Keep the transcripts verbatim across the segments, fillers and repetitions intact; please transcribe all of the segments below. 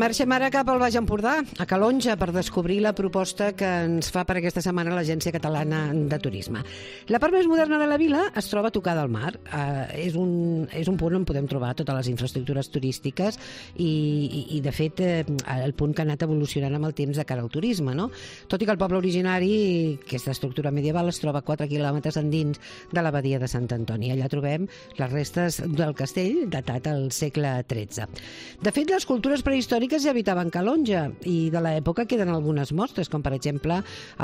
Marxem ara cap al Baix Empordà, a Calonge, per descobrir la proposta que ens fa per aquesta setmana l'Agència Catalana de Turisme. La part més moderna de la vila es troba tocada al mar. Uh, és, un, és un punt on podem trobar totes les infraestructures turístiques i, i, i de fet, eh, el punt que ha anat evolucionant amb el temps de cara al turisme, no? Tot i que el poble originari, que és d'estructura medieval, es troba a quatre quilòmetres endins de l'abadia de Sant Antoni. Allà trobem les restes del castell datat al segle tretze. De fet, les cultures prehistòriques ja habitaven Calonge i de l'època queden algunes mostres, com per exemple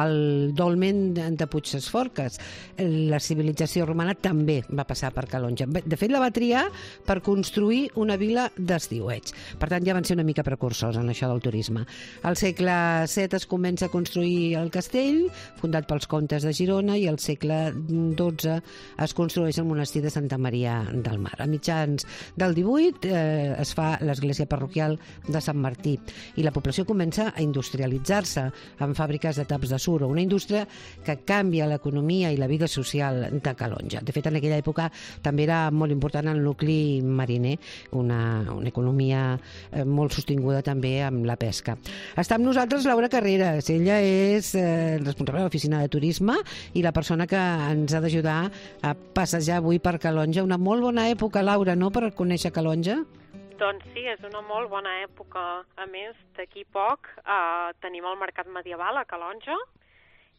el dolmen de Puigdesforques. La civilització romana també va passar per Calonge. De fet, la va triar per construir una vila d'estiueig. Per tant, ja van ser una mica precursors en això del turisme. Al segle set es comença a construir el castell, fundat pels comtes de Girona, i al segle dotze es construeix el monestir de Santa Maria del Mar. A mitjans del divuit eh, es fa l'església parroquial de Sant Martí i la població comença a industrialitzar-se en fàbriques de taps de suro, una indústria que canvia l'economia i la vida social de Calonge. De fet, en aquella època també era molt important el nucli mariner, una, una economia eh, molt sostinguda també amb la pesca. Està amb nosaltres Laura Carreras. Ella és eh, responsable de l'oficina de turisme i la persona que ens ha d'ajudar a passejar avui per Calonge. Una molt bona època, Laura, no?, per conèixer Calonge? Doncs sí, és una molt bona època. A més, d'aquí poc eh, tenim el Mercat Medieval a Calonge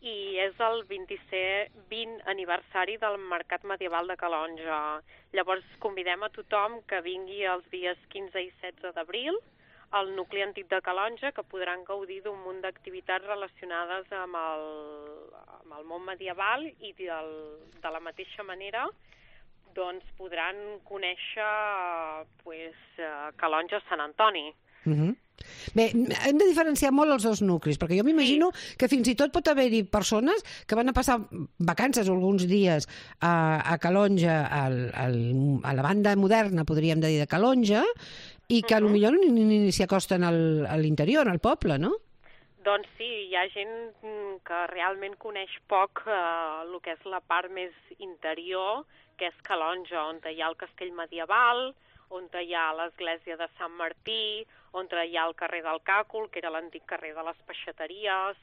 i és el vint aniversari del Mercat Medieval de Calonge. Llavors convidem a tothom que vingui els dies quinze i setze d'abril al nucli antic de Calonge, que podran gaudir d'un munt d'activitats relacionades amb el, amb el món medieval i del, de la mateixa manera doncs podran conèixer pues, Calonge Sant Antoni. Uh-huh. Bé, hem de diferenciar molt els dos nuclis, perquè jo m'imagino sí. que fins i tot pot haver-hi persones que van a passar vacances o alguns dies a, a Calonge, al, al, a la banda moderna, podríem dir, de Calonge, i que uh-huh. potser ni, ni, ni s'hi acosten al, a l'interior, al poble, no? Doncs sí, hi ha gent que realment coneix poc eh, el que és la part més interior, que és Calonge, on hi ha el castell medieval, on hi ha l'església de Sant Martí, on hi ha el carrer del Càcul, que era l'antic carrer de les peixateries.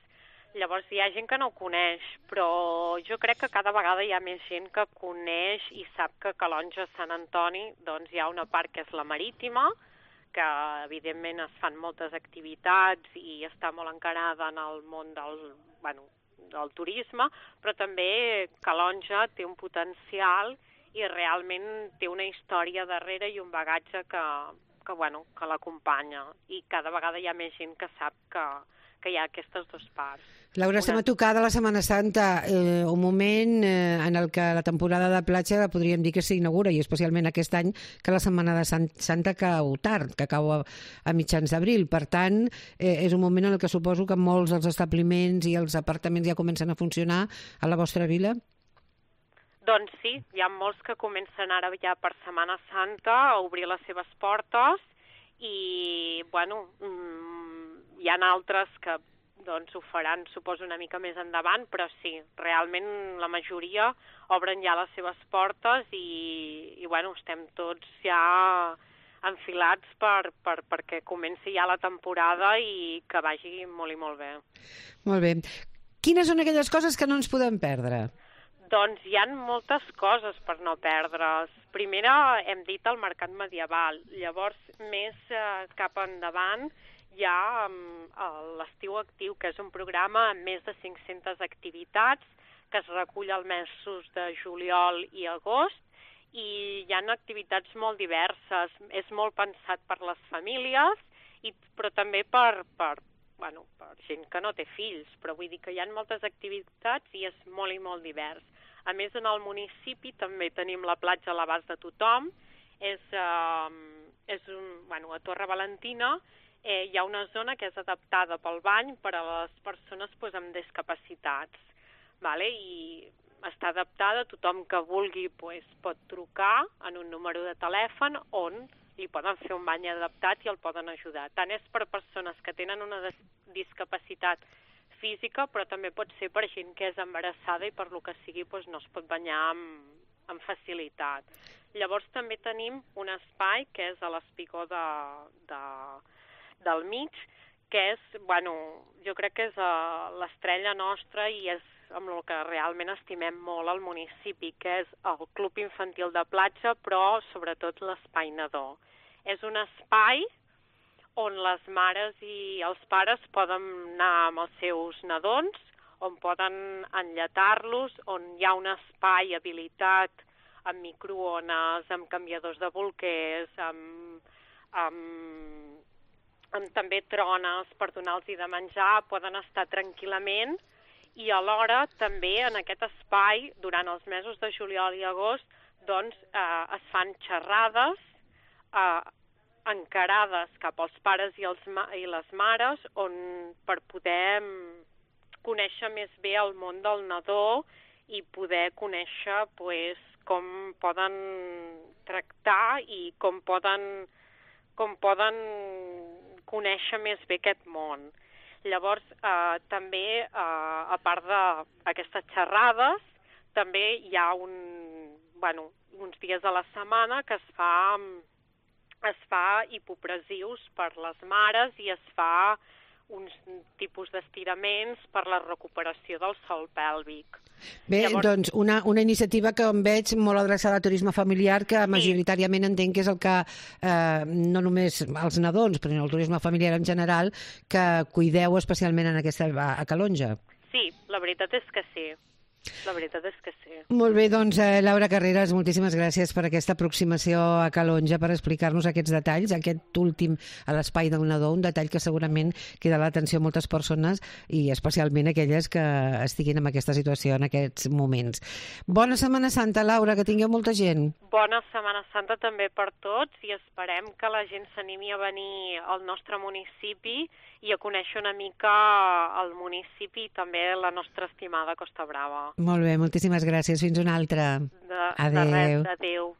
Llavors hi ha gent que no ho coneix, però jo crec que cada vegada hi ha més gent que coneix i sap que a Calonge Sant Antoni doncs, hi ha una part que és la marítima, que evidentment es fan moltes activitats i està molt encarada en el món del, bueno, del turisme, però també Calonge té un potencial i realment té una història darrere i un bagatge que, que, bueno, que l'acompanya. I cada vegada hi ha més gent que sap que, que hi ha aquestes dues parts. Laura, estem a tocar de la Setmana Santa, eh, un moment eh, en el que la temporada de platja podríem dir que s'inaugura, i especialment aquest any que la Setmana de Sant, Santa cau tard, que cau a, a mitjans d'abril. Per tant, eh, és un moment en el que suposo que molts dels establiments i els apartaments ja comencen a funcionar a la vostra vila? Doncs sí, hi ha molts que comencen ara ja per Setmana Santa a obrir les seves portes i, bueno, mmm, hi ha altres que doncs ho faran, suposo, una mica més endavant, però sí, realment la majoria obren ja les seves portes i, i bueno, estem tots ja enfilats per, per, perquè comenci ja la temporada i que vagi molt i molt bé. Molt bé. Quines són aquelles coses que no ens podem perdre? Doncs hi ha moltes coses per no perdre's. Primera, hem dit el Mercat Medieval. Llavors, més eh, cap endavant, hi ha um, l'Estiu Actiu, que és un programa amb més de cinc-centes activitats que es recull els mesos de juliol i agost i hi ha activitats molt diverses. És molt pensat per les famílies, i, però també per, per, bueno, per gent que no té fills, però vull dir que hi ha moltes activitats i és molt i molt divers. A més, en el municipi també tenim la platja a l'abast de tothom. És, eh, és un, bueno, a Torre Valentina eh, hi ha una zona que és adaptada pel bany per a les persones pues, amb discapacitats. Vale? I està adaptada, tothom que vulgui pues, pot trucar en un número de telèfon on li poden fer un bany adaptat i el poden ajudar. Tant és per persones que tenen una discapacitat física, però també pot ser per gent que és embarassada i per lo que sigui doncs, no es pot banyar amb, amb facilitat. Llavors també tenim un espai que és a l'espigó de, de del mig, que és, bueno, jo crec que és uh, l'estrella nostra i és amb el que realment estimem molt al municipi, que és el Club Infantil de Platja, però sobretot l'espai nadó. És un espai on les mares i els pares poden anar amb els seus nadons, on poden enllatar-los, on hi ha un espai habilitat amb microones, amb canviadors de bolquers, amb, amb, amb també trones per donar-los de menjar, poden estar tranquil·lament i alhora també en aquest espai, durant els mesos de juliol i agost, doncs eh, es fan xerrades eh, encarades cap als pares i, els ma i les mares on per poder conèixer més bé el món del nadó i poder conèixer pues, com poden tractar i com poden, com poden conèixer més bé aquest món. Llavors, eh, també, eh, a part d'aquestes xerrades, també hi ha un, bueno, uns dies a la setmana que es fa, es fa hipopressius per les mares i es fa uns tipus d'estiraments per la recuperació del sòl pèlvic. Bé, Llavors... doncs una, una iniciativa que em veig molt adreçada al turisme familiar, que sí. majoritàriament entenc que és el que, eh, no només els nadons, però el turisme familiar en general, que cuideu especialment en aquesta a Calonge. Sí, la veritat és que sí. La veritat és que sí. Molt bé, doncs, eh, Laura Carreras, moltíssimes gràcies per aquesta aproximació a Calonge, per explicar-nos aquests detalls, aquest últim a l'espai del nadó, un detall que segurament queda a l'atenció a moltes persones i especialment aquelles que estiguin en aquesta situació en aquests moments. Bona Setmana Santa, Laura, que tingueu molta gent. Bona Setmana Santa també per tots i esperem que la gent s'animi a venir al nostre municipi i a conèixer una mica el municipi i també la nostra estimada Costa Brava. Molt bé, moltíssimes gràcies. Fins una altra. De, adéu. De res, adéu.